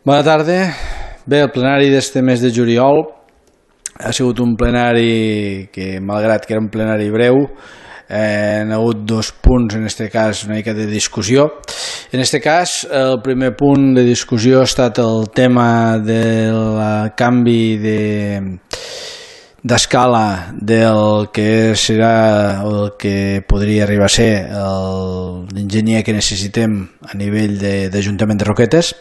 Bona tarda. Bé, el plenari d'este mes de juliol ha sigut un plenari que, malgrat que era un plenari breu, han hagut dos punts, en aquest cas una mica de discussió. En aquest cas, el primer punt de discussió ha estat el tema del canvi d'escala del que serà o el que podria arribar a ser l'enginyer que necessitem a nivell d'Ajuntament de Roquetes.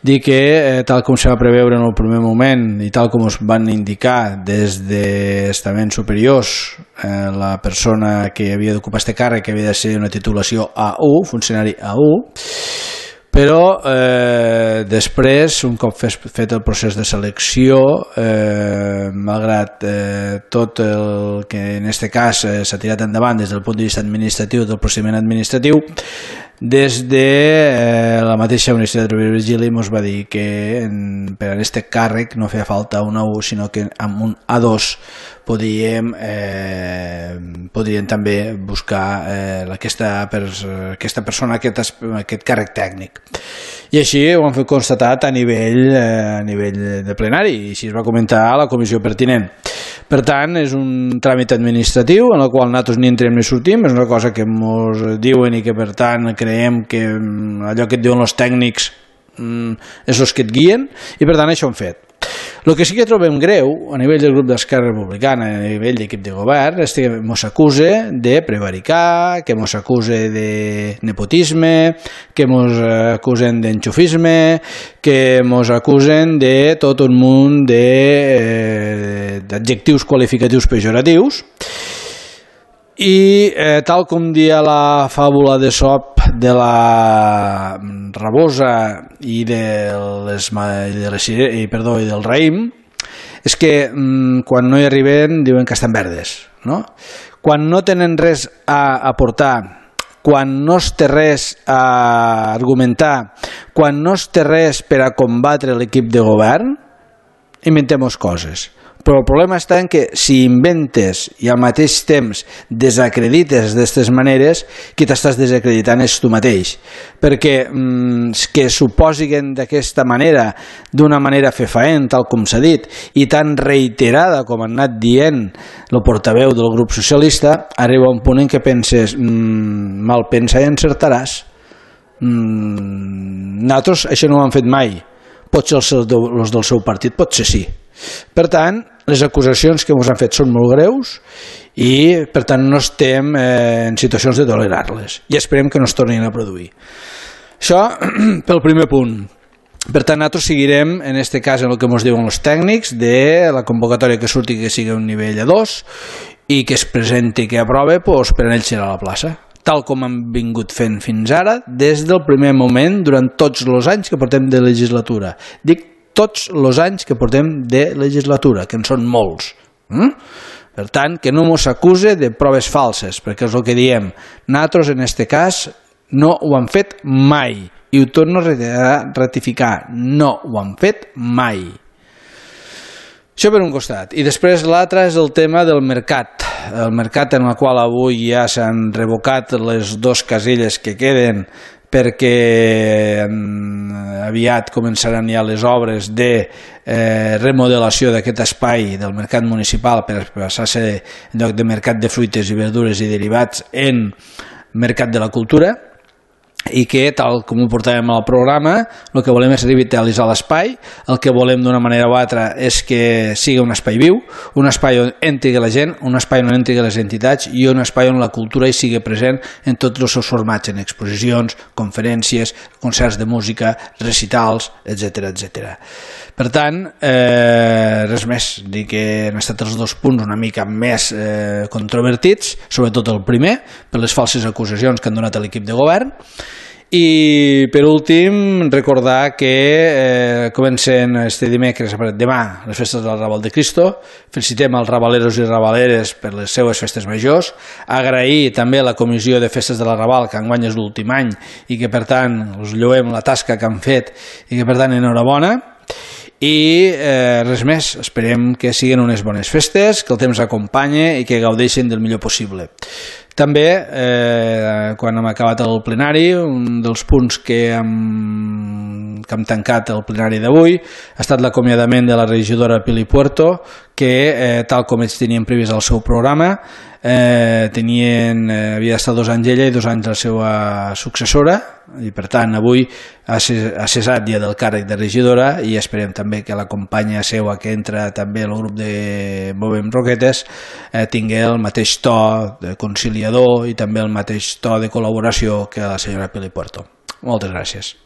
Dir que, tal com se va preveure en el primer moment i tal com us van indicar des d'estaments superiors, la persona que havia d'ocupar este càrrec havia de ser una titulació A1, funcionari A1, però després, un cop fet el procés de selecció, malgrat tot el que en aquest cas s'ha tirat endavant des del punt de vista administratiu, del procediment administratiu, des de la mateixa Universitat Rovira i Virgili ens va dir que per a aquest càrrec no feia falta un A1, sinó que amb un A2 podríem també buscar aquesta persona, aquest càrrec tècnic. I així ho han fet constatat a nivell de plenari, i així es va comentar a la comissió pertinent. Per tant, és un tràmit administratiu en el qual nosaltres ni entrem ni sortim, és una cosa que ens diuen i que per tant creiem que allò que et diuen els tècnics és els que et guien, i per tant això ho hem fet. El que sí que trobem greu a nivell del grup d'Esquerra Republicana, a nivell d'equip de govern, és que ens acusa de prevaricar, que ens acusa de nepotisme, que ens acusen d'enxufisme, que ens acusen de tot un munt d'adjectius qualificatius pejoratius. I tal com dia la fàbula d'Esop de la rabosa i del raïm, és que quan no hi arriben diuen que estan verdes, no? Quan no tenen res a aportar, quan no es té res a argumentar, quan no es té res per a combatre l'equip de govern, inventem coses. Però el problema està en que si inventes i al mateix temps desacredites d'aquestes maneres, qui t'estàs desacreditant és tu mateix, perquè que suposin d'aquesta manera, d'una manera fefaent, tal com s'ha dit, i tan reiterada com han anat dient el portaveu del grup socialista, arriba un punt en què penses, mal pensa i encertaràs. Nosaltres això no ho hem fet mai. Potser els del seu partit, potser sí. Per tant, les acusacions que ens han fet són molt greus i, per tant, no estem en situacions de tolerar-les i esperem que no es tornin a produir. Això pel primer punt. Per tant, nosaltres seguirem, en aquest cas, en el que ens diuen els tècnics, de la convocatòria que surti que sigui un nivell A2 i que es presenti i que aprove, doncs per a ells serà la plaça, tal com hem vingut fent fins ara, des del primer moment, durant tots els anys que portem de legislatura. Dic tots els anys que portem de legislatura, que en són molts. Per tant, que no ens acuse de proves falses, perquè és el que diem. Nosaltres, en aquest cas, no ho hem fet mai. I ho torno a ratificar. No ho hem fet mai. Això per un costat. I després l'altre és el tema del mercat. El mercat en el qual avui ja s'han revocat les dues casilles que queden perquè aviat començaran ja les obres de remodelació d'aquest espai del mercat municipal per passar a ser en lloc de mercat de fruites i verdures i derivats en mercat de la cultura, i que, tal com ho portàvem al programa, el que volem és revitalitzar l'espai. El que volem d'una manera o altra és que sigui un espai viu, un espai on entri la gent, un espai on entri les entitats i un espai on la cultura hi sigui present en tots els seus formats, en exposicions, conferències, concerts de música, recitals, etc. Per tant, res més, dir que han estat els dos punts una mica més controvertits, sobretot el primer, per les falses acusacions que han donat a l'equip de govern. I per últim recordar que comencen este dimecres, demà, les festes del Raval de Cristo. Felicitem als rabaleros i rabaleres per les seues festes majors, agrair també a la comissió de festes de la Raval, que enguany és l'últim any i que per tant us lloem la tasca que han fet i que per tant enhorabona. I res més, esperem que siguin unes bones festes, que el temps acompanye i que gaudeixin del millor possible. També, quan hem acabat el plenari, un dels punts que hem hem tancat el plenari d'avui. Ha estat l'acomiadament de la regidora Pili Puerto, que tal com ells tenien previst el seu programa, havia estat 2 anys ella i 2 anys la seva successora, i per tant avui ha cessat ja del càrrec de regidora, i esperem també que la companya seua que entra també al grup de Movem Roquetes tingui el mateix to de conciliador i també el mateix to de col·laboració que la senyora Pili Puerto. Moltes gràcies.